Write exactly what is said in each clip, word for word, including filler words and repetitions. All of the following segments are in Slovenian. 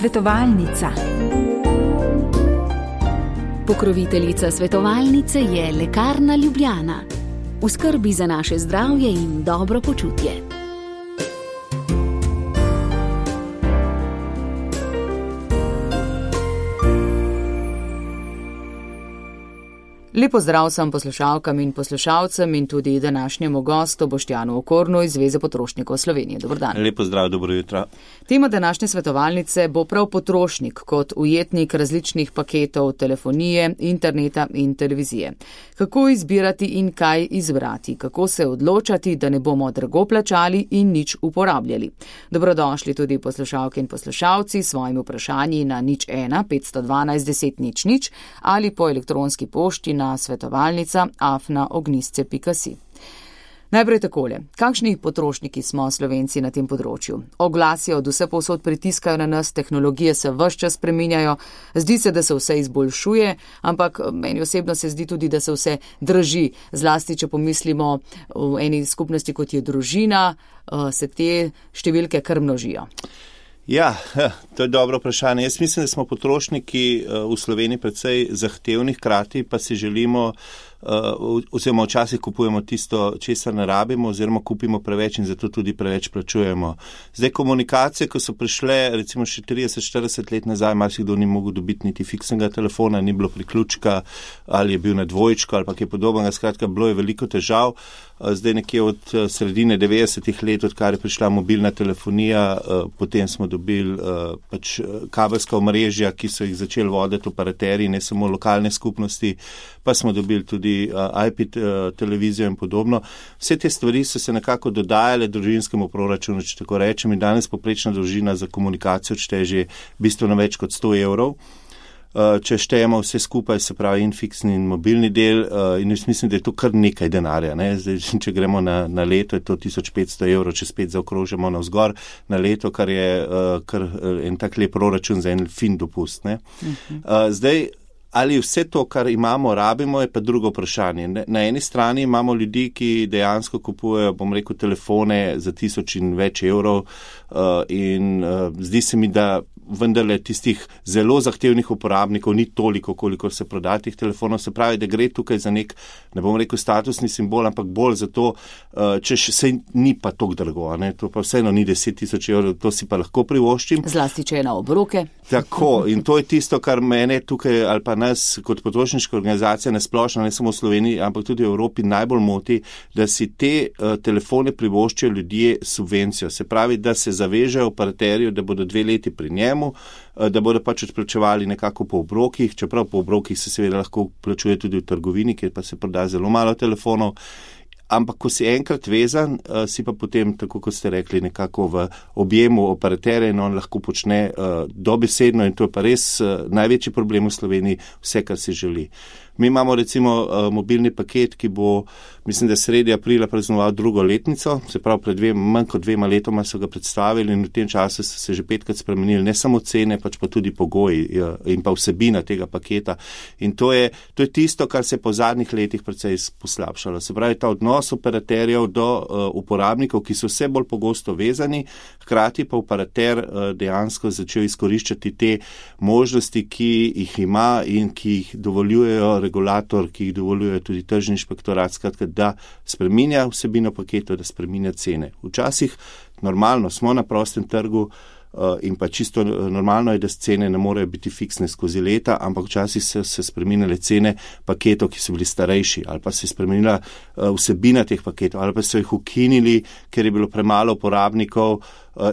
Svetovalnica. Pokroviteljica svetovalnice je Lekarna Ljubljana. V skrbi za naše zdravje in dobro počutje. Lepo zdrav sem poslušalkam in poslušalcem in tudi današnjemu gostu Boštjanu Okornu iz Zveze potrošnikov Slovenije. Dobar dan. Lepo zdrav, dobro jutro. Tema današnje svetovalnice bo prav potrošnik kot ujetnik različnih paketov telefonije, interneta in televizije. Kako izbirati in kaj izbrati, kako se odločati, da ne bomo drago plačali in nič uporabljali. Dobrodošli tudi poslušalke in poslušalci s svojimi vprašanji na nič ena petsto dvanajst deset nič nič ali po elektronski pošti na svetovalnica afna ognjisce pika si. Najprej takole, kakšni potrošniki smo Slovenci na tem področju? Oglasi od vse povsod pritiskajo na nas, tehnologije se ves čas spreminjajo, zdi se, da se vse izboljšuje, ampak meni osebno se zdi tudi, da se vse draži. Zlasti, če pomislimo v eni skupnosti, kot je družina, se te številke kar množijo. Ja, to je dobro vprašanje. Jaz mislim, da smo potrošniki v Sloveniji precej zahtevni, hkrati pa si želimo, oziroma včasih kupujemo tisto, česar ne rabimo, oziroma kupimo preveč in zato tudi preveč plačujemo. Zdaj, komunikacije, ko so prišle recimo še trideset štirideset let nazaj, marsikdo ni mogel dobiti niti fiksnega telefona, ni bilo priključka ali je bil na dvojčku ali pa kaj podobnega, skratka, bilo je veliko težav. Zdaj nekje od sredine devetdesetih let, odkar je prišla mobilna telefonija, potem smo dobili pač kabelska omrežja, ki so jih začeli voditi operaterji, ne samo lokalne skupnosti, pa smo dobili tudi I P televizijo in podobno. Vse te stvari so se nekako dodajale družinskemu proračunu, če tako rečem, in danes poprečna družina za komunikacijo odšteje že bistveno več kot sto evrov. Če štejemo vse skupaj, se pravi in fiksni in mobilni del, in jaz mislim, da je to kar nekaj denarja. Ne? Zdaj, če gremo na, na leto, je to tisoč petsto evrov, če spet zaokrožimo navzgor na leto, kar je kar en tak lep proračun za en fin dopust. Ne? Uh-huh. Zdaj, ali vse to, kar imamo, rabimo, je pa drugo vprašanje. Na eni strani imamo ljudi, ki dejansko kupujejo, bom rekel, telefone za tisoč in več evrov in zdi se mi, da vendarle tistih zelo zahtevnih uporabnikov ni toliko, koliko se proda teh telefonov. Se pravi, da gre tukaj za nek, ne bom rekel statusni simbol, ampak bolj za to, če se ni pa toliko drago, ne? To pa vseeno ni deset tisoč evrov, to si pa lahko privoščim. Zlasti, če je na obroke. Tako, in to je tisto, kar mene tukaj ali pa nas kot potrošniška organizacija nasplošno, ne samo v Sloveniji, ampak tudi v Evropi najbolj moti, da si te uh, telefone privoščijo ljudje subvencijo. Se pravi, da se zavežejo operaterju, da bodo dve leti pri njemu, uh, da bodo pač odplačevali nekako po obrokih, čeprav po obrokih se seveda lahko plačuje tudi v trgovini, kjer pa se proda zelo malo telefonov. Ampak, ko si enkrat vezan, uh, si pa potem, tako kot ste rekli, nekako v objemu operaterja in on lahko počne uh, dobesedno in to je pa res uh, največji problem v Sloveniji, vse, kar si želi. Mi imamo recimo uh, mobilni paket, ki bo, mislim, da sredi aprila praznoval drugo letnico, se pravi, pred dvema, manj kot dvema letoma so ga predstavili in v tem času so se že petkrat spremenili, ne samo cene, pač pa tudi pogoji uh, in pa vsebina tega paketa. In to je, to je tisto, kar se je po zadnjih letih precej poslabšalo. Se pravi, ta odnos operaterjev do uh, uporabnikov, ki so vse bolj pogosto vezani, hkrati pa operater uh, dejansko začel izkoriščati te možnosti, ki jih ima in ki jih dovoljujejo regulator, ki jih dovoljuje tudi tržni inšpektorat, skratka, da spreminja vsebino paketov, da spreminja cene. Včasih normalno smo na prostem trgu in pa čisto normalno je, da cene ne morejo biti fiksne skozi leta, ampak včasih so se spreminjale cene paketov, ki so bili starejši, ali pa se je spremenila vsebina teh paketov, ali pa so jih ukinili, ker je bilo premalo uporabnikov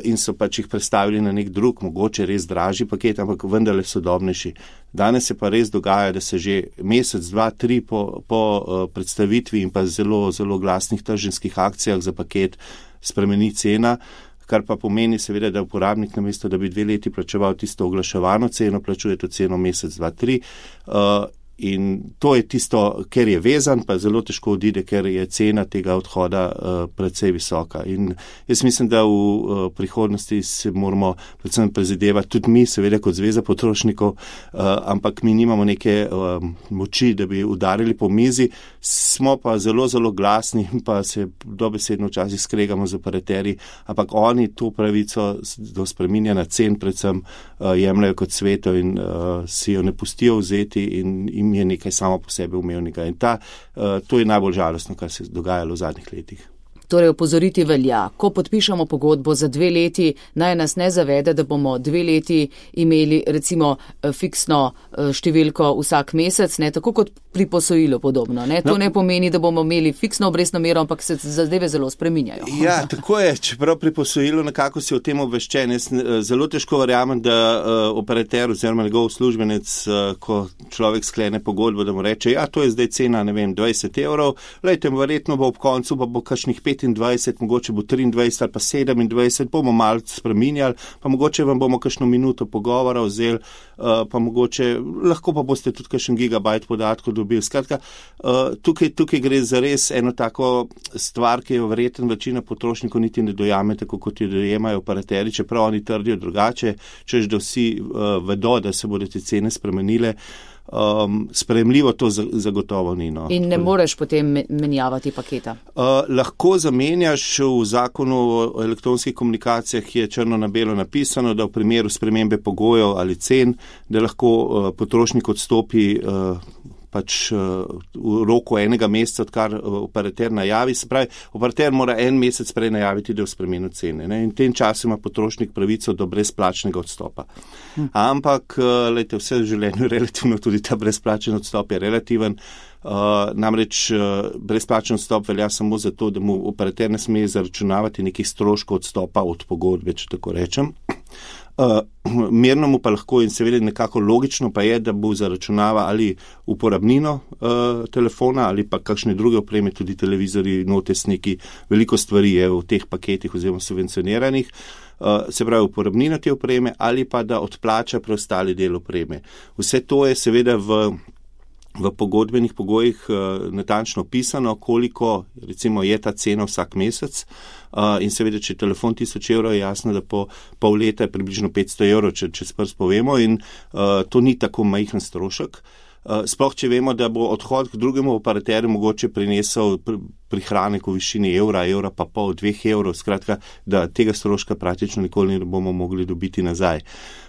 in so pač jih predstavili na nek drug, mogoče res dražji paket, ampak vendarle sodobnejši. Danes se pa res dogaja, da se že mesec, dva, tri po, po predstavitvi in pa zelo, zelo glasnih tržinskih akcijah za paket spremeni cena, kar pa pomeni seveda, da uporabnik namesto, da bi dve leti plačeval tisto oglaševano ceno, plačuje to ceno mesec, dva, tri. Uh, in to je tisto, ker je vezan, pa zelo težko odide, ker je cena tega odhoda uh, precej visoka. In jaz mislim, da v uh, prihodnosti se moramo predvsem prizadevati, tudi mi, seveda kot Zveza potrošnikov, uh, ampak mi nimamo neke uh, moči, da bi udarili po mizi, smo pa zelo, zelo glasni in pa se dobesedno včasih skregamo z operaterji, ampak oni to pravico do spreminjanja cen predvsem uh, jemljajo kot sveto in uh, si jo ne pustijo vzeti in jim je nekaj samo po sebi umevnega. In ta, uh, to je najbolj žalostno, kar se je dogajalo v zadnjih letih. Torej, opozoriti velja, ko podpišemo pogodbo za dve leti, naj nas ne zavede, da bomo dve leti imeli recimo fiksno številko vsak mesec, ne, tako kot pri posojilu podobno. Ne. To no, ne pomeni, da bomo imeli fiksno obrestno mero, ampak se zadeve zelo spreminjajo. Ja, tako je, čeprav pri posojilu nekako si o tem obveščen. Jaz zelo težko verjamem, da uh, operater oziroma njegov uslužbenec, uh, ko človek sklene pogodbo, da mu reče, ja, to je zdaj cena, ne vem, dvajset evrov, lejte, verjetno bo ob koncu, pa bo kakšnih petindvajset, mogoče bo triindvajset ali pa sedemindvajset, bomo malo spreminjali, pa mogoče vam bomo kakšno minuto pogovora vzeli, uh, pa mogoče, lahko pa boste tudi kakšen gigabajt podatkov dobili. Skratka, uh, tukaj, tukaj gre za res eno tako stvar, ki jo verjetno večina potrošnikov niti ne dojame, tako kot jo dojemajo operaterji, čeprav oni trdijo drugače, češ da vsi uh, vedo, da se bodo te cene spremenile. Um, sprejemljivo to zagotovo ni. No. In ne moreš potem menjavati paketa? Uh, lahko zamenjaš. V zakonu o elektronskih komunikacijah je črno na belo napisano, da v primeru spremembe pogojev ali cen, da lahko uh, potrošnik odstopi uh, pač v roku enega meseca, odkar operater najavi. Se pravi, operater mora en mesec prej najaviti, da je v spremenu cene. Ne? In v tem času ima potrošnik pravico do brezplačnega odstopa. Hm. Ampak, lejte, vse v življenju relativno, tudi ta brezplačen odstop je relativen. Uh, namreč uh, brezplačen odstop velja samo zato, da mu operater ne sme zaračunavati nekih stroškov odstopa od pogodbe, če tako rečem. Uh, mirno mu pa lahko in seveda nekako logično pa je, da bo zaračunava ali uporabnino uh, telefona ali pa kakšne druge opreme, tudi televizori, notesniki, veliko stvari je v teh paketih oziroma subvencioniranih, uh, se pravi uporabnino te opreme ali pa da odplača preostali del opreme. Vse to je seveda v v pogodbenih pogojih uh, natančno pisano, koliko recimo je ta cena vsak mesec uh, in seveda, če je telefon tisoč evrov, je jasno, da po pol leta je približno petsto evrov, če, če sprst povemo in uh, to ni tako majhen strošek. Uh, sploh, če vemo, da bo odhod k drugemu operaterju mogoče prinesel pr prihranek v višini evra, evra pa pol, dveh evrov, skratka, da tega stroška praktično nikoli ne bomo mogli dobiti nazaj.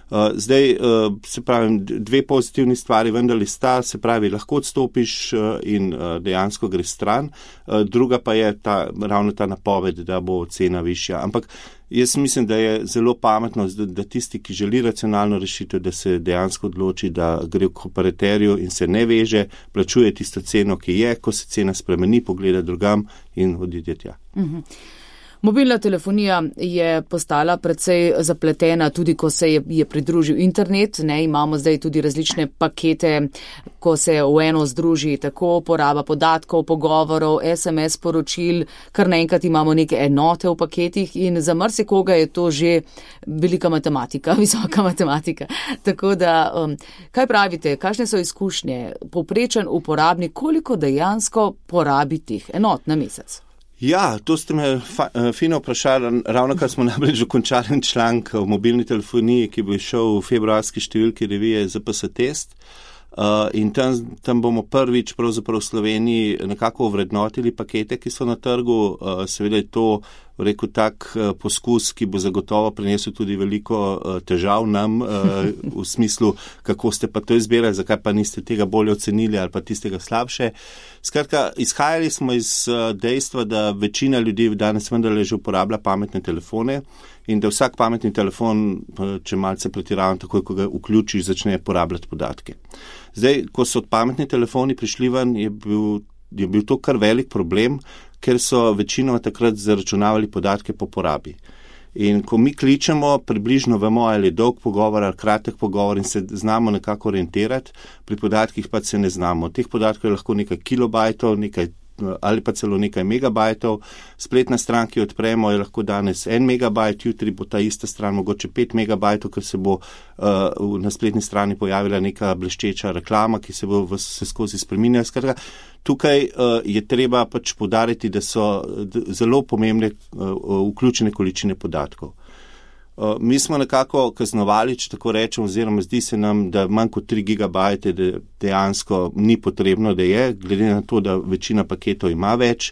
Uh, zdaj, uh, se pravi, dve pozitivni stvari vendarle sta, se pravi, lahko odstopiš uh, in uh, dejansko greš stran, uh, druga pa je ta, ravno ta napoved, da bo cena višja. Ampak jaz mislim, da je zelo pametno, da, da tisti, ki želi racionalno rešitev, da se dejansko odloči, da gre k operaterju in se ne veže, plačuje tisto ceno, ki je, ko se cena spremeni, pogleda drugam in odide tja. Mhm. Mobilna telefonija je postala precej zapletena, tudi ko se je, je pridružil internet. Ne, imamo zdaj tudi različne pakete, ko se v eno združi tako poraba podatkov, pogovorov, es em es poročil, kar naenkrat imamo neke enote v paketih in za marsikoga je to že velika matematika, visoka matematika. Tako da, um, kaj pravite, kakšne so izkušnje? Povprečen uporabnik, koliko dejansko porabi teh enot na mesec? Ja, to ste me fa, fino vprašali. Ravno kar smo namreč dokončali članek o mobilni telefoniji, ki bo šel v februarski številki revije Z P S Test. Uh, in tam, tam bomo prvič pravzaprav v Sloveniji nekako ovrednotili pakete, ki so na trgu. Uh, seveda je to, rekel, tak uh, poskus, ki bo zagotovo prinesel tudi veliko uh, težav nam uh, v smislu, kako ste pa to izbirali, zakaj pa niste tega bolje ocenili ali pa tistega slabše. Skratka, izhajali smo iz uh, dejstva, da večina ljudi danes vendarle že uporablja pametne telefone in da vsak pametni telefon, če malce pretiravam, takoj, ko ga vključiš, začne porabljati podatke. Zdaj, ko so pametni telefoni prišli ven, je bil, je bil to kar velik problem, ker so večinoma takrat zaračunavali podatke po porabi. In ko mi kličemo, približno vemo, ali je dolg pogovor ali kratek pogovor in se znamo nekako orientirati, pri podatkih pa se ne znamo. Teh podatkov je lahko nekaj kilobajtov, nekaj ali pa celo nekaj megabajtov. Spletna stran, ki jo odpremo, je lahko danes en megabajt, jutri bo ta ista stran mogoče pet megabajtov, ker se bo uh, na spletni strani pojavila neka bleščeča reklama, ki se bo vse skozi spreminjala. Skratka, tukaj uh, je treba pač poudariti, da so zelo pomembne uh, vključene količine podatkov. Uh, mi smo nekako kaznovali, če tako rečem, oziroma zdi se nam, da manj kot tri gigabajte de, dejansko ni potrebno, da je, glede na to, da večina paketov ima več.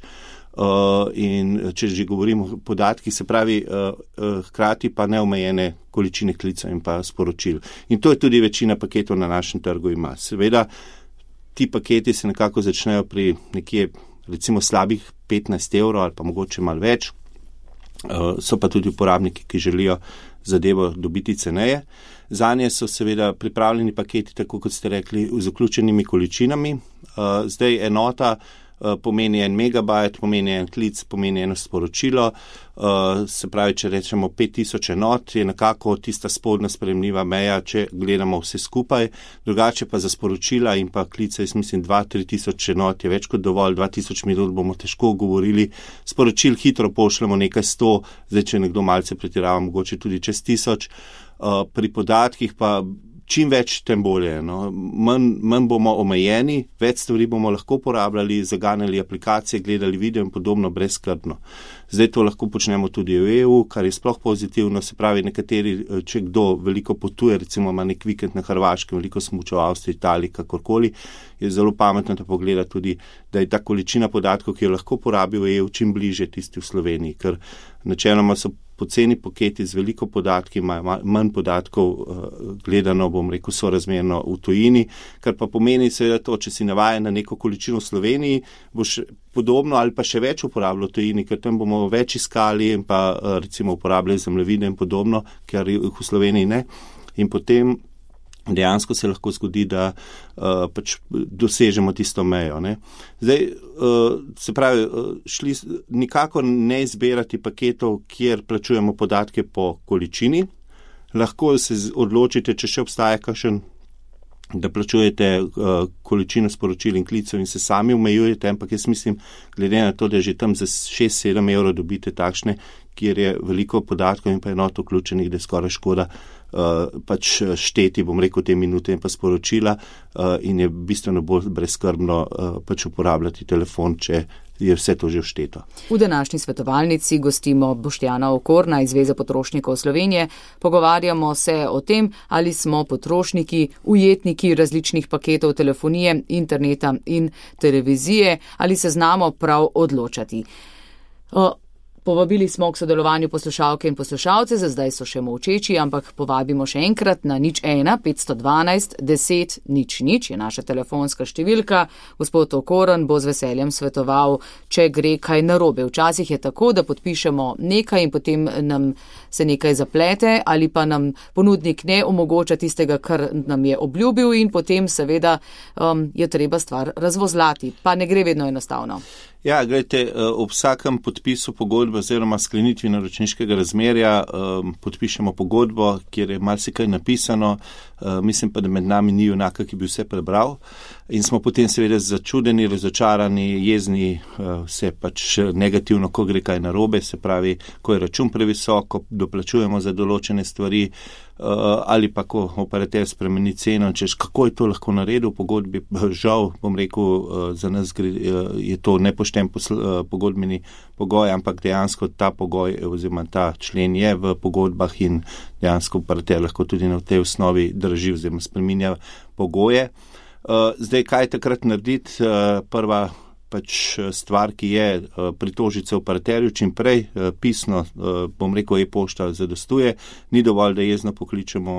Uh, in če že govorimo o podatkih, se pravi, uh, uh, hkrati pa neomejene količine klicev in pa sporočil. In to je tudi večina paketov na našem trgu ima. Seveda, ti paketi se nekako začnejo pri nekje, recimo, slabih petnajst evrov ali pa mogoče malo več. Uh, so pa tudi uporabniki, ki želijo zadevo dobiti ceneje. Zanje so seveda pripravljeni paketi, tako kot ste rekli, z vključenimi količinami. Uh, zdaj enota uh, pomeni en megabajt, pomeni en klic, pomeni eno sporočilo. Uh, se pravi, če rečemo pet tisoč enot, je nekako tista spodnja sprejemljiva meja, če gledamo vse skupaj. Drugače pa za sporočila in pa klice, jaz mislim, dva do tri tisoč enot je več kot dovolj, dva tisoč minut bomo težko govorili. Sporočil hitro pošljemo nekaj sto, zdaj če nekdo malce pretirava, mogoče tudi čez tisoč. Uh, pri podatkih pa čim več, tem bolje. No. Manj, manj bomo omejeni, več stvari bomo lahko uporabljali, zaganjali aplikacije, gledali video in podobno brezskrbno. Zdaj to lahko počnemo tudi v E U, kar je sploh pozitivno, se pravi, nekateri, če kdo veliko potuje, recimo ima nek vikend na Hrvaškem, veliko smuča v Avstriji, Italiji, kakorkoli, je zelo pametno, da pogleda tudi, da je ta količina podatkov, ki jo lahko porabi v E U, čim bliže tisti v Sloveniji, ker načeloma so poceni paketi z veliko podatki, imajo manj podatkov gledano, bom rekel, sorazmerno v tujini, kar pa pomeni seveda to, če si navajen na neko količino v Sloveniji, boš podobno ali pa še več uporabljal v tujini, ker tam bomo več iskali in pa recimo uporabljali zemljevide in podobno, ker jih v Sloveniji ne. In potem dejansko se lahko zgodi, da uh, pač dosežemo tisto mejo. Ne. Zdaj, uh, se pravi, uh, šli nikakor ne izbirati paketov, kjer plačujemo podatke po količini. Lahko se odločite, če še obstaja kakšen, da plačujete uh, količino sporočil in klicev in se sami omejujete, ampak jaz mislim, glede na to, da že tam za šest sedem evrov dobite takšne, kjer je veliko podatkov in pa enot vključenih, da je skoraj škoda uh, pač šteti, bom rekel, te minute in pa sporočila uh, in je bistveno bolj brezskrbno uh, pač uporabljati telefon, če je vse to že všteto. V današnji svetovalnici gostimo Boštjana Okorna iz Zveze potrošnikov Slovenije. Pogovarjamo se o tem, ali smo potrošniki, ujetniki različnih paketov telefonije, interneta in televizije, ali se znamo prav odločati. Uh, Povabili smo k sodelovanju poslušalke in poslušalce, za zdaj so še molčeči, ampak povabimo še enkrat na nič ena petsto dvanajst deset nič nič je naša telefonska številka. Gospod Okoren bo z veseljem svetoval, če gre kaj narobe. Včasih je tako, da podpišemo nekaj in potem nam se nekaj zaplete ali pa nam ponudnik ne omogoča tistega, kar nam je obljubil in potem seveda um, je treba stvar razvozlati. Pa ne gre vedno enostavno. Ja, gledajte, ob vsakem podpisu pogodbe oziroma sklenitvi naročniškega razmerja um, podpišemo pogodbo, kjer je marsikaj napisano, uh, mislim pa, da med nami ni junaka, ki bi vse prebral in smo potem seveda začudeni, razočarani, jezni, uh, vse pač negativno, ko gre kaj narobe, se pravi, ko je račun previsoko, doplačujemo za določene stvari, Uh, ali pa ko operater spremeni ceno, češ kako je to lahko naredil v pogodbi, žal, bom rekel, uh, za nas gre, uh, je to nepošten posl, uh, pogodbeni pogoj, ampak dejansko ta pogoj oziroma ta člen je v pogodbah in dejansko operater lahko tudi na tej osnovi drži oziroma spreminja pogoje. Uh, zdaj, kaj takrat narediti? Uh, prva pač stvar, ki je pritožiti se operaterju čim prej, pisno, bom rekel, e-pošta zadostuje, ni dovolj, da jezno pokličemo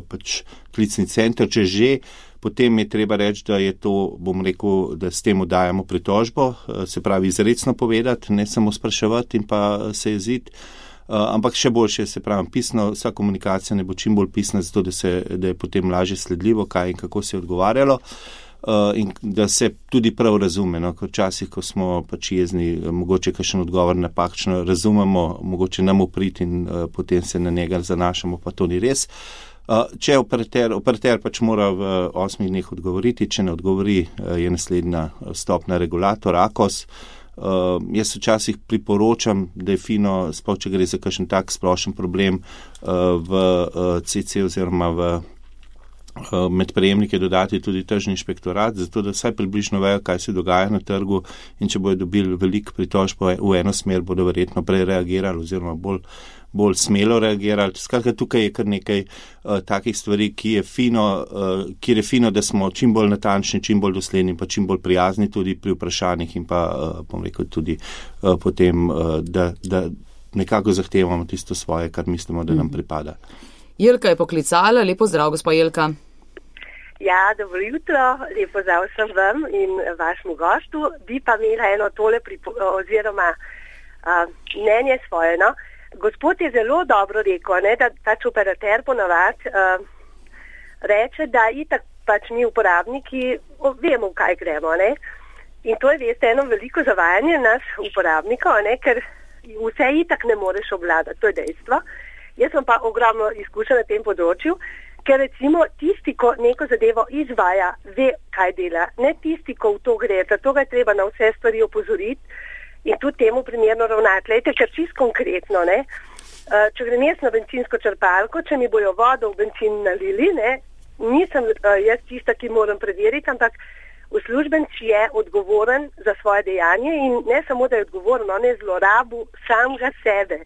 pač klicni center, če že, potem je treba reči, da je to, bom rekel, da s tem dajemo pritožbo, se pravi izrecno povedati, ne samo spraševati in pa se jeziti, ampak še boljše, se pravi pisno, vsa komunikacija ne bo čim bolj pisna, zato da, se, da je potem lažje sledljivo, kaj in kako se je odgovarjalo. Uh, in da se tudi prav razume, no, ko včasih, ko smo pač jezni, mogoče kakšen odgovor napačno razumemo, mogoče nam uprit in uh, potem se na njega zanašamo, pa to ni res. Uh, če operater, operater pač mora v osmih dneh odgovoriti, če ne odgovori, uh, je naslednja stopna regulator, A K O S. Uh, jaz včasih priporočam, da je fino, sploh če gre za kakšen tak splošen problem uh, v uh, C C oziroma v med prejemnike dodati tudi tržni inšpektorat, zato da vsaj približno vejo, kaj se dogaja na trgu in če bodo dobili veliko pritožb v eno smer, bodo verjetno prej reagirali oziroma bolj, bolj smelo reagirali. Skratka, tukaj je kar nekaj uh, takih stvari, ki je fino, uh, kjer je fino, da smo čim bolj natančni, čim bolj dosledni, pa čim bolj prijazni tudi pri vprašanjih in pa, uh, bom rekel, tudi uh, potem, uh, da, da nekako zahtevamo tisto svoje, kar mislimo, da nam pripada. Jelka je poklicala. Lepo zdrav, gospa Jelka. Ja, dobro jutro, lepo zdrav sem vam in vašemu gostu. Bi pa imela eno tole pripo, oziroma uh, mnenje svoje. No? Gospod je zelo dobro rekel, ne, da pač operater ponavad uh, reče, da itak pač mi uporabniki vemo, v kaj gremo. Ne? In to je, veste, eno veliko zavajanje nas uporabnikov, ne? Ker vse itak ne moreš obvladati, to je dejstvo. Jaz sem pa ogromno izkušen na tem področju. Ker recimo tisti, ko neko zadevo izvaja, ve, kaj dela, ne tisti, ko v to gre, zato ga je treba na vse stvari opozoriti in tudi temu primerno ravnati. Lejte, ker čisto konkretno, ne, če grem jaz na bencinsko črpalko, če mi bojo vodo v bencin nalili, ne, nisem jaz tista, ki moram preveriti, ampak uslužbenec je odgovoren za svoje dejanje in ne samo, da je odgovoren, on je zlorabil samega sebe.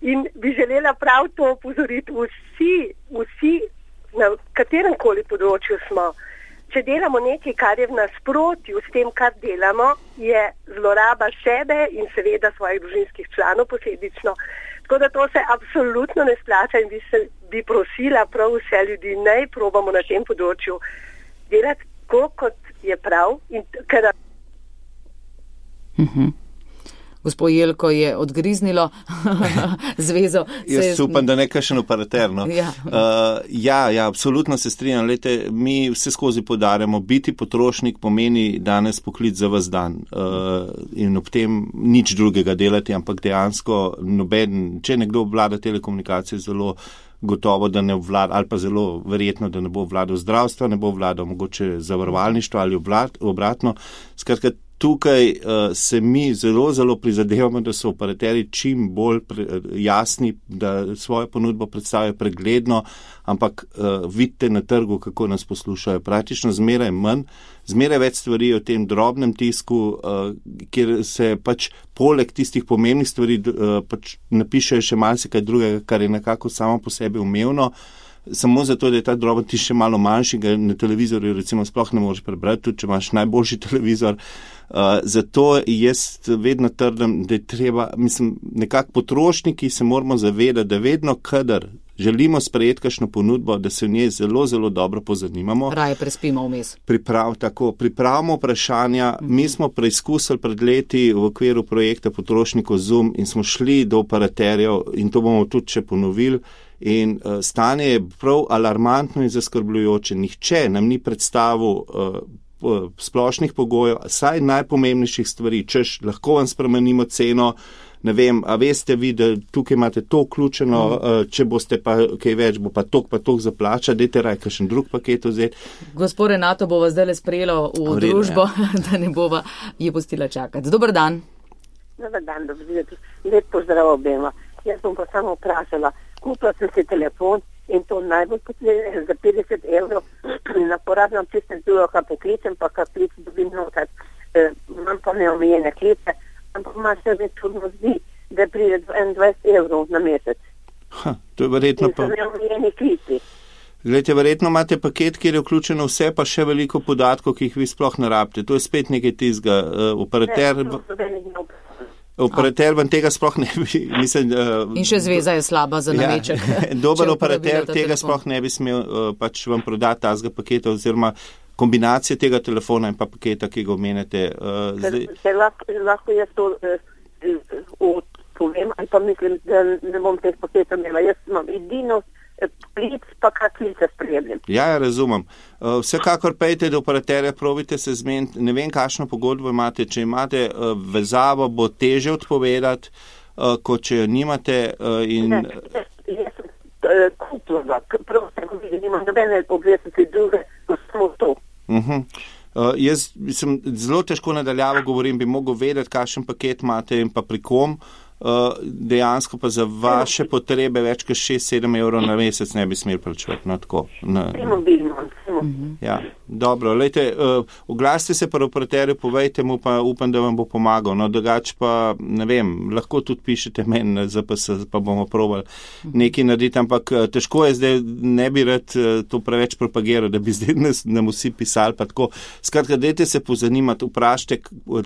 In bi želela prav to opozoriti vsi, vsi, na katerem koli področju smo. Če delamo nekaj, kar je v nasprotju s tem, kar delamo, je zloraba sebe in seveda svojih družinskih članov posledično. Tako da to se absolutno ne splača in bi, se, bi prosila prav vse ljudi, naj probamo na tem področju delati tako, kot je prav. In ker... Mhm. Gospod Jelko je odgriznilo zvezo. Jaz upam, da ne kakšen operater. No. Ja. Uh, ja, ja, absolutno se strinjam. Lejte, mi vse skozi podarjamo, biti potrošnik pomeni danes poklic za vas dan uh, in ob tem nič drugega delati, ampak dejansko noben, če nekdo obvlada telekomunikacije, zelo gotovo, da ne obvlada, ali pa zelo verjetno, da ne bo obvladal zdravstva, ne bo obvladal mogoče zavarovalništva ali oblat, obratno. Skratka, tukaj uh, se mi zelo, zelo prizadevamo, da so operaterji čim bolj pre, jasni, da svojo ponudbo predstavljajo pregledno, ampak uh, vidite na trgu, kako nas poslušajo. Praktično zmeraj manj, zmeraj več stvari o tem drobnem tisku, uh, kjer se pač poleg tistih pomembnih stvari uh, pač napišejo še malce kaj drugega, kar je nekako samo po sebi umevno. Samo zato, da je ta droben tisk še malo manjši, ga na televizorju recimo sploh ne moreš prebrati, tudi če imaš najboljši televizor. Uh, zato jaz vedno trdim, da je treba, mislim, nekako potrošniki se moramo zavedati, da vedno, kadar želimo sprejeti kakšno ponudbo, da se v njej zelo, zelo dobro pozanimamo. Raje prespimo vmes. Priprav, tako, pripravimo vprašanja. Mm-hmm. Mi smo preizkusili pred leti v okviru projekta Potrošnikov Zoom in smo šli do operaterjev in to bomo tudi še ponovili. In uh, stanje je prav alarmantno in zaskrbljujoče. Nihče nam ni predstavil uh, splošnih pogojev, saj najpomembnejših stvari, češ lahko vam spremenimo ceno, ne vem, a veste vi, da tukaj imate to vključeno, mm. če boste pa kaj več, bo pa tok pa tok zaplača, dajte raj kakšen drug paket vzeti. Gospod Renato bova zdaj le sprejelo v Vredno, družbo, ja. Da ne bova je pustila čakati. Dobar dan. Dobar dan, dobro. Lep pozdrav obema. Jaz bom pa samo vprašala, kupila sem si telefon in to najbolj potrebno za petdeset evrov in uporabljam tistem drugo, kar poklicem, pa kar klic dobim notat. E, imam pa neomejene klice, ampak ima se mi čudno zdi, da pride dvajset evrov na mesec. Ha, to je verjetno pa... In so neomejeni klici. Glejte, verjetno imate paket, kjer je vključeno vse, pa še veliko podatkov, ki jih vi sploh ne rabite. To je spet nekaj tizga. Uh, operater... Ne, Operater vam tega sploh ne bi... Mislim, uh, in še zveza je slaba za nameček. Ja, dober operater tega telefon. Sploh ne bi smel uh, pač vam prodati tazga paketa oziroma kombinacije tega telefona in pa paketa, ki ga omenjate. Uh, zdaj... Se lahko, lahko jaz to uh, povem, ali pa mislim, da ne bom teh paketov imela. Jaz imam edino klic, pa kak klice spremljam. Ja, ja, razumem. Uh, vsekakor pejte do operaterja, probite se zmeniti, ne vem, kakšno pogodbo imate. Če imate uh, vezavo, bo teže odpovedati, uh, kot če jo nimate. Uh, in... Ne, jaz, jaz sem uh, kupila, prav sem videla, nimam nobene obveznosti druge, ko samo to. Uh-huh. Uh, jaz sem zelo težko nadaljavo govorim, bi mogel vedeti, kakšen paket imate in pa pri kom. Uh, dejansko pa za vaše potrebe več kot šest sedem evrov na mesec ne bi smeli plačevati. No, tako, na... Mobilno, -huh. Ja, dobro, lejte, uh, oglasite se pa operaterju, povejte mu, pa upam, da vam bo pomagal. No, drugače pa, ne vem, lahko tudi pišete meni na Z P S, pa bomo probali uh -huh. nekaj narediti, ampak uh, težko je zdaj, ne bi rad uh, to preveč propagiral, da bi zdaj nas, nam vsi pisali, pa tako. Skratka, dajte se pozanimati, vprašajte,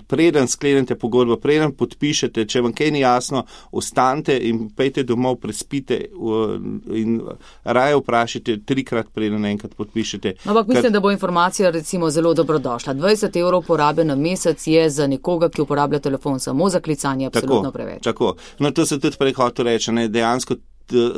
preden sklenete pogodbo, preden podpišete, če vam kaj ni jasno, ostanite in pejte domov, prespite uh, in raje vprašajte trikrat, preden enkrat podpišete. Ampak mislim, kar... da bo informacija recimo zelo dobrodošla. dvajset evrov porabe na mesec je za nekoga, ki uporablja telefon samo za klicanje, absolutno tako, preveč. Tako, no to se tudi prej hotel reči, ne, dejansko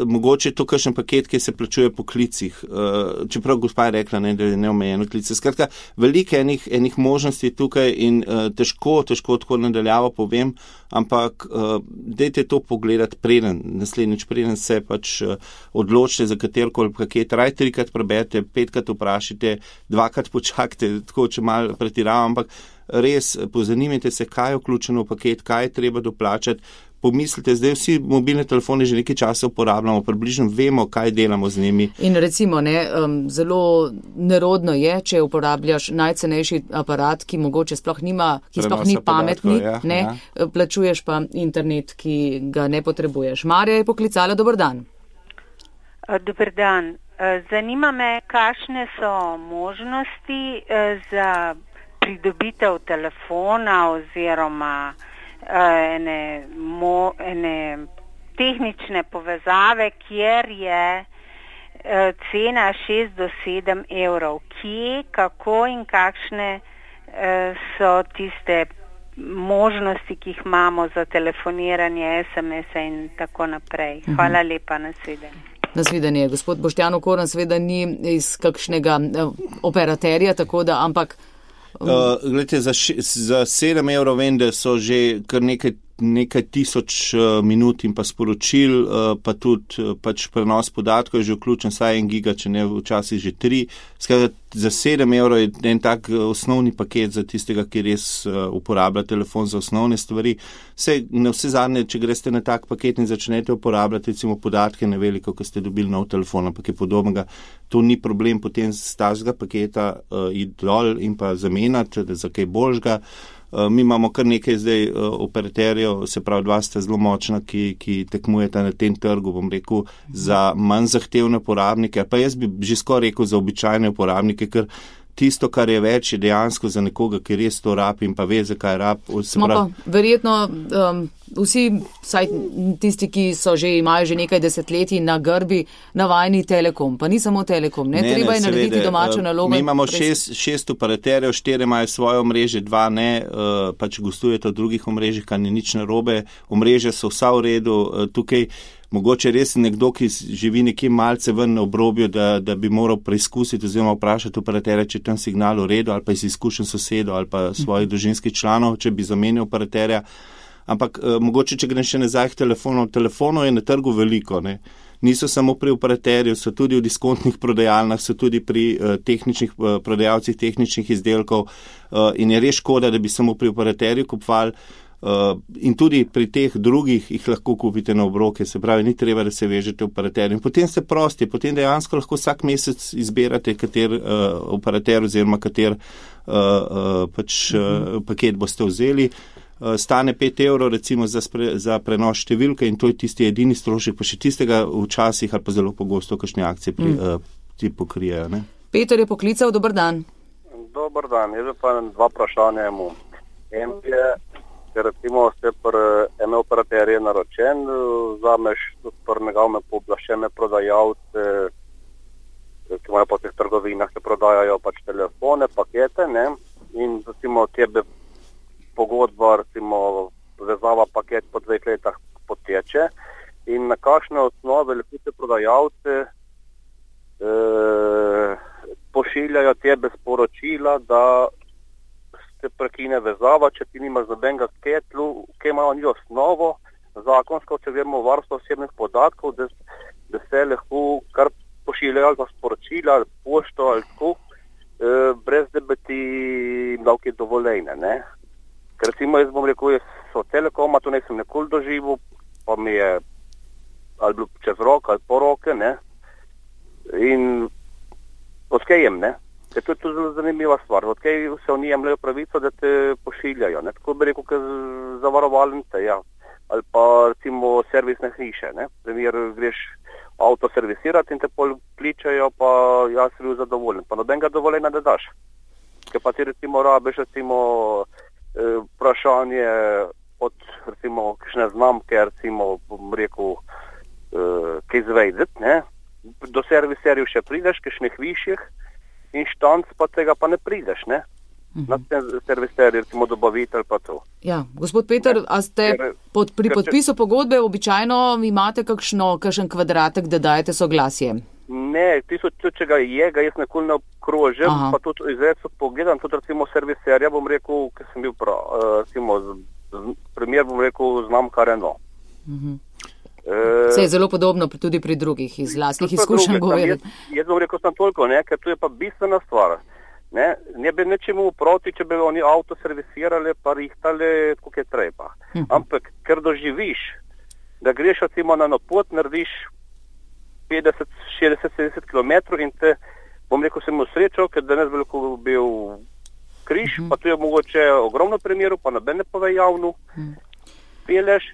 mogoče je to kakšen paket, ki se plačuje po klicih, uh, čeprav gospa je rekla, ne, da je neomejeno klice. Skratka, veliko enih, enih možnosti tukaj in uh, težko, težko tako nadaljavo povem, ampak uh, dajte to pogledati preden, naslednjič preden se pač uh, odločite za katerkoli paket, raj trikrat preberte, petkrat vprašite, dvakrat počakajte, tako če malo pretiravam, ampak res pozanimajte se, kaj je vključeno v paket, kaj je treba doplačati. Pomislite, zdaj vsi mobilne telefone že nekaj časa uporabljamo, približno vemo, kaj delamo z njimi. In recimo, ne, um, zelo nerodno je, če uporabljaš najcenejši aparat, ki mogoče sploh nima, ki Prenosa sploh ni pametni, ja, ne, ja. Plačuješ pa internet, ki ga ne potrebuješ. Marja je poklicala, dober dan. Dober dan. Zanima me, kakšne so možnosti za pridobitev telefona oziroma Ene, mo, ene tehnične povezave, kjer je e, cena šest do sedem evrov. Kje, kako in kakšne e, so tiste možnosti, ki jih imamo za telefoniranje, es em es in tako naprej. Hvala uh-huh. lepa, nasvidenje. Nasvidenje. Gospod Boštjan Okorn seveda ni iz kakšnega e, operaterja, tako da, ampak Uh, gledajte, za, za sedem evrov vem, da so že kar nekaj, nekaj tisoč uh, minut in pa sporočil, uh, pa tudi uh, pač prenos podatkov je že vključen, saj en giga, če ne včasih že tri. Skratka, za sedem evrov je en tak uh, osnovni paket za tistega, ki res uh, uporablja telefon za osnovne stvari. Vse, na vse zadnje, če greste na tak paket in začnete uporabljati recimo podatke na veliko, ko ste dobili nov telefon, ampak je podobnega, to ni problem potem z tazga paketa uh, iti dol in pa zamenjati za kaj boljšega. Uh, mi imamo kar nekaj zdaj uh, operaterjev, se pravi dva sta zelo močna, ki, ki tekmujeta na tem trgu, bom rekel, za manj zahtevne uporabnike, pa jaz bi že skoraj rekel za običajne uporabnike, ker tisto, kar je več, je dejansko za nekoga, ki res to rab in pa ve, zakaj rab. Smo prav... pa verjetno um, vsi, saj tisti, ki so že, imajo že nekaj desetletij na grbi, navajeni Telekom, pa ni samo Telekom, ne, ne treba ne, je narediti seveda, domačo nalogo. Mi imamo šest, šest operaterjev, štiri imajo svoje omrežje, dva ne, uh, pač gostujete v drugih omrežjih, kar ni nič narobe, omrežje so vsa v redu, uh, tukaj mogoče res nekdo, ki živi nekje malce ven na obrobju, da, da bi moral preizkusiti oziroma vprašati operaterja, če je tam signal v redu, ali pa iz izkušenj sosedov ali pa svojih družinskih članov, če bi zamenil operaterja. Ampak eh, mogoče, če grem še nazaj k telefonu, telefonov je na trgu veliko, ne. Niso samo pri operaterju, so tudi v diskontnih prodajalnah, so tudi pri uh, tehničnih, uh, prodajalcih tehničnih izdelkov uh, in je res škoda, da bi samo pri operaterju kupovali. Uh, in tudi pri teh drugih jih lahko kupite na obroke, se pravi, ni treba, da se vežete v operaterju. In potem ste prosti, potem dejansko lahko vsak mesec izberate, kater uh, operater oziroma kater uh, uh, pač, uh, paket boste vzeli. Uh, stane pet evrov recimo za, spre, za prenos številke in to je tisti edini strošek, pa še tistega včasih ali pa zelo pogosto kakšne akcije pri, mm. uh, ti pokrijejo. Ne? Peter je poklical, dober dan. Dober dan, jaz pa dva vprašanja imam. En je, ker recimo ste pri ene operaterje naročen, vzameš pri njegove pooblaščene prodajalce, ki imajo po teh trgovinah, se prodajajo pač telefone, pakete, ne, in recimo tebe pogodba, recimo vezava paket po dveh letah poteče in na kakšne osnove lahko te prodajalce eh, pošiljajo tebe sporočila, da prekine vezava, če ti nimaš nobenega ketlu, ki imajo ni osnovo zakonsko, če vemo varstvo osebnih podatkov, da, da se lahko kar pošiljajo ali pa sporočila, ali pošto, ali tako, e, brez da bi ti davki dovoljene, ne. Ker recimo jaz bom rekel, jaz so Telekoma, to nisem nikoli doživel, pa mi je ali bilo čez rok, ali po roke, ne. In oskejem, ne. Ker to je tudi zelo zanimiva stvar. Odkaj se oni jemljajo pravico, da te pošiljajo, ne? Tako bi rekel, kot zavarovalnice, ja. Ali pa recimo servisne hiše, ne. Primer, greš avto servisirati in te pol kličajo, pa jaz sem bil zadovoljen. Pa nobenega dovoljenja ne daš. Ker pa ti recimo rabiš recimo eh, vprašanje od recimo kakšne znamke, recimo bom rekel, eh, kaj zvejdeti, ne. Do serviserjev še prideš, kakšnih višjih, inštanc pa tega pa ne prideš, ne? Uh-huh. Na ten serviserji, recimo dobavitelj pa to. Ja, gospod Peter, a ste pod, pri podpisu pogodbe običajno imate kakšno, kakšen kvadratek, da dajete soglasje? Ne, tisto, če ga je, ga jaz nekoli ne obkrožim, Aha. pa tudi izredno pogledam, tudi recimo serviserja, bom rekel, ker sem bil prav, recimo, z, z, primer bom rekel, znamka Renault. Uh-huh. Vse je zelo podobno tudi pri drugih iz lastnih izkušenj govoriti. Jaz, jaz bom rekel, sem toliko, ne, ker tu je pa bistvena stvar. Ne, ne bi nečemu proti, če bi oni avto servisirali, pa rihtali, kako je treba. Uh-huh. Ampak, ker doživiš, da greš recimo na pot, narediš petdeset, šestdeset, sedemdeset kilometrov in te, bom rekel, sem imel srečo, ker danes bi lahko bil križ, uh-huh. pa tu je mogoče ogromno primerov, pa noben ne pove javno, uh-huh. peleš,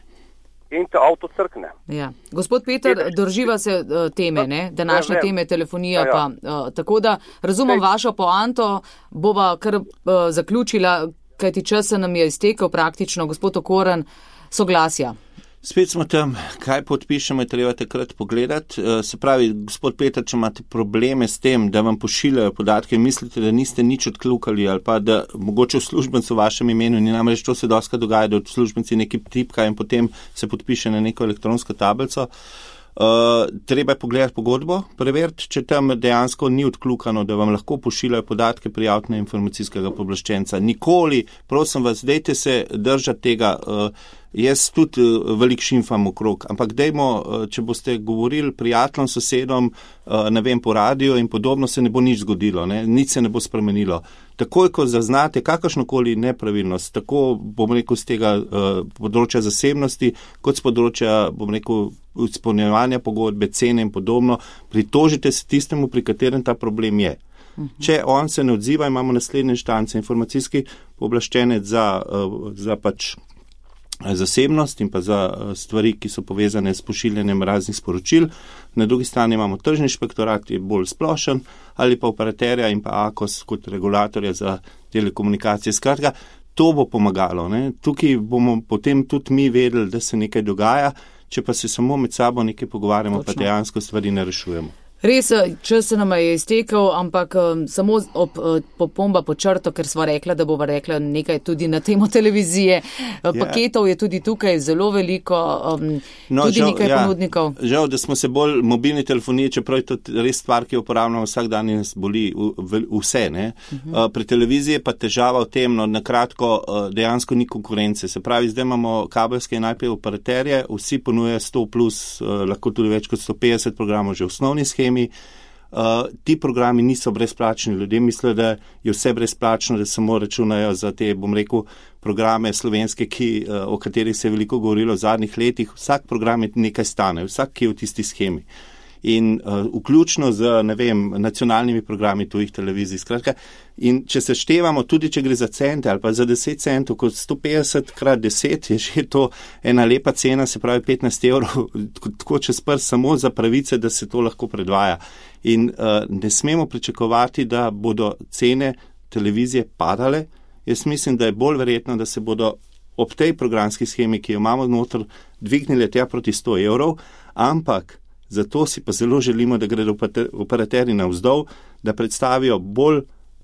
in te avto crkne. Ja. Gospod Peter, drživa se uh, teme, ne? Današnje ne, teme, telefonija, ja, ja. pa uh, tako da razumem Sej. vašo poanto, bova kar uh, zaključila, kajti čas se nam je iztekel praktično, gospod Okoran, soglasja. Spet smo tam, kaj podpišemo, je treba takrat pogledati. Se pravi, gospod Peter, če imate probleme s tem, da vam pošiljajo podatke in mislite, da niste nič odkljukali ali pa da mogoče v službencu v vašem imenu, ni namreč to se dosti dogaja, da v službenci nekaj tipka in potem se podpiše na neko elektronsko tablico. Uh, treba je pogledati pogodbo, preveriti, če tam dejansko ni odkljukano, da vam lahko pošiljajo podatke prijaviti na informacijskega pooblaščenca. Nikoli, prosim vas, dejte se držati tega. Uh, Jaz tudi uh, veliko šimfam okrog, ampak dejmo, uh, če boste govorili prijateljem, sosedom, uh, ne vem, po radiju in podobno, se ne bo nič zgodilo, ne? Nič se ne bo spremenilo. Takoj, ko zaznate kakršnokoli nepravilnost, tako, bom rekel, z tega uh, področja zasebnosti, kot z področja, bom rekel, izpolnjevanja pogodbe, cene in podobno, pritožite se tistemu, pri katerem ta problem je. Uh-huh. Če on se ne odziva, imamo naslednje inštance, informacijski pooblaščenec za, uh, za pač zasebnost in pa za stvari, ki so povezane s pošiljanjem raznih sporočil. Na drugi strani imamo tržni inšpektorat, je bolj splošen, ali pa operaterja in pa A K O S kot regulatorja za telekomunikacije. Skratka, to bo pomagalo. Ne? Tukaj bomo potem tudi mi vedeli, da se nekaj dogaja, če pa se samo med sabo nekaj pogovarjamo, Točno. Pa dejansko stvari ne rešujemo. Res, čas se nam je iztekel, ampak um, samo ob uh, popomba po črto, ker sva rekla, da bova rekla nekaj tudi na temo televizije. Uh, paketov je tudi tukaj zelo veliko, um, no, tudi žal, nekaj ja, ponudnikov. Žal, da smo se bolj mobilni telefoniji, čeprav je to res stvar, ki jo uporabljamo vsak dan in nas boli v, v, vse. Ne? Uh-huh. Uh, pri televiziji je pa težava v tem, no, nakratko uh, dejansko ni konkurence. Se pravi, zdaj imamo kabelske in I P operaterje, vsi ponujajo sto plus, uh, lahko tudi več kot sto petdeset programov že v osnovni schemi. Uh, ti programi niso brezplačni. Ljudje mislijo, da je vse brezplačno, da samo računajo za te, bom rekel, programe slovenske, ki, uh, o katerih se je veliko govorilo v zadnjih letih. Vsak program je nekaj stane, vsak, ki je v tisti schemi. In uh, vključno z, ne vem, nacionalnimi programi tujih televizij. Skratka, in če se števamo, tudi če gre za cente ali pa za deset centov, kot sto petdeset krat deset je že to ena lepa cena, se pravi petnajst evrov, tako čez prst samo za pravice, da se to lahko predvaja. In uh, ne smemo pričakovati, da bodo cene televizije padale. Jaz mislim, da je bolj verjetno, da se bodo ob tej programski schemi, ki jo imamo noter, dvignile tja proti sto evrov, ampak zato si pa zelo želimo, da gredo operaterji navzdol, da predstavijo bolj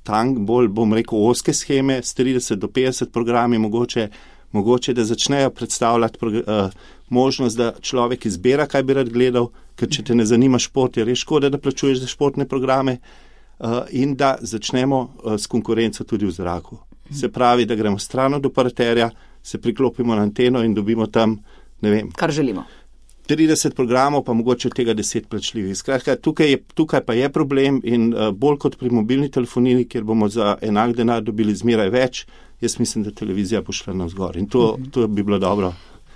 tank, bolj, bom rekel, ozke scheme s trideset do petdeset programi, mogoče, mogoče da začnejo predstavljati prog- uh, možnost, da človek izbira, kaj bi rad gledal, ker če te ne zanima šport, je res škoda, da plačuješ za športne programe, uh, in da začnemo uh, s konkurenco tudi v zraku. Se pravi, da gremo stran od operaterja, se priklopimo na anteno in dobimo tam, ne vem, kar želimo. trideset programov, pa mogoče od tega deset plačljivih. Skratka, tukaj, je, tukaj pa je problem in uh, bolj kot pri mobilni telefoniji, kjer bomo za enak denar dobili zmeraj več, jaz mislim, da televizija bo šla navzgor in to, to bi bilo dobro.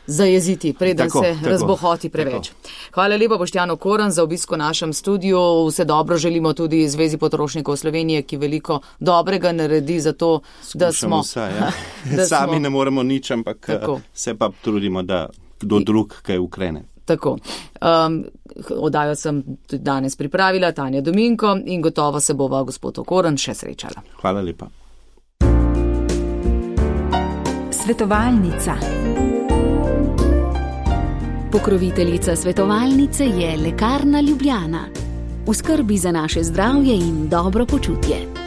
zajeziti, preden tako, se tako, razbohoti preveč. tako. Hvala lepa, Boštjan Okorn, za obisko v našem studiu. Vse dobro želimo tudi Zvezi potrošnikov Slovenije, ki veliko dobrega naredi za to, da smo... Vsa, ja. da Sami smo, ne moremo nič, ampak tako. Se pa trudimo, da kdo drug kaj ukrene. Tako. Um, Oddajo sem tudi danes pripravila, Tanja Dominko, in gotovo se bova gospod Okorn še srečala. Hvala lepa. Svetovalnica. Pokroviteljica svetovalnice je Lekarna Ljubljana. V skrbi za naše zdravje in dobro počutje.